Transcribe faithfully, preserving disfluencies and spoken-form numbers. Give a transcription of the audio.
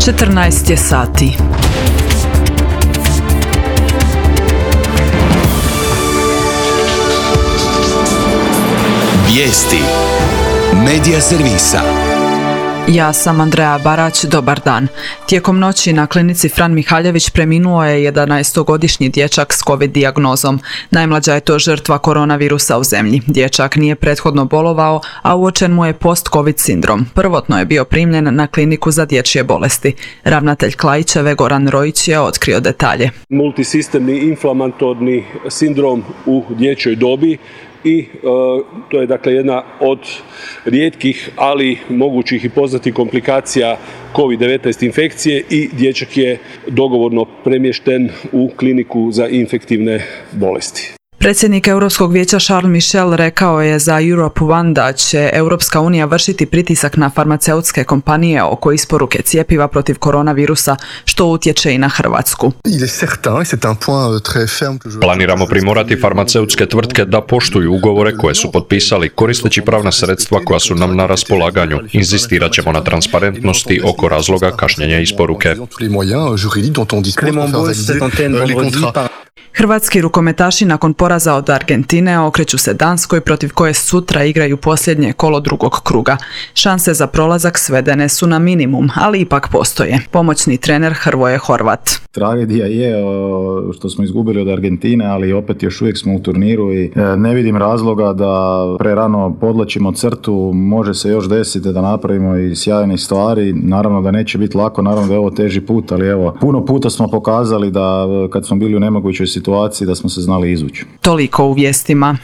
četrnaest je sati. Vijesti Medija servisa. Ja sam Andreja Barać, dobar dan. Tijekom noći na klinici Fran Mihaljević preminuo je jedanaestogodišnji dječak s COVID dijagnozom. Najmlađa je to žrtva koronavirusa u zemlji. Dječak nije prethodno bolovao, a uočen mu je post-COVID sindrom. Prvotno je bio primljen na kliniku za dječje bolesti. Ravnatelj Klaićeve Goran Rojić je otkrio detalje. Multisistemni inflamatorni sindrom u dječjoj dobi i e, to je dakle jedna od rijetkih, ali mogućih i poznatih komplikacija covid devetnaest infekcije i dječak je dogovorno premješten u kliniku za infektivne bolesti. Predsjednik Europskog vijeća Charles Michel rekao je za Europe One da će Europska unija vršiti pritisak na farmaceutske kompanije oko isporuke cjepiva protiv koronavirusa, što utječe i na Hrvatsku. Planiramo primorati farmaceutske tvrtke da poštuju ugovore koje su potpisali koristeći pravna sredstva koja su nam na raspolaganju. Inzistirat ćemo na transparentnosti oko razloga kašnjenja isporuke. Hrvatski rukometaši nakon poraza od Argentine okreću se Danskoj, protiv koje sutra igraju posljednje kolo drugog kruga. Šanse za prolazak svedene su na minimum, ali ipak postoje. Pomoćni trener Hrvoje Horvat. Tragedija je što smo izgubili od Argentine, ali opet još uvijek smo u turniru i ne vidim razloga da prerano podlačimo crtu. Može se još desiti da napravimo i sjajne stvari. Naravno da neće biti lako, naravno da je ovo teži put, ali evo, puno puta smo pokazali da kad smo bili u nemogućoj situaciji da smo se znali izvući. Toliko u vijestima.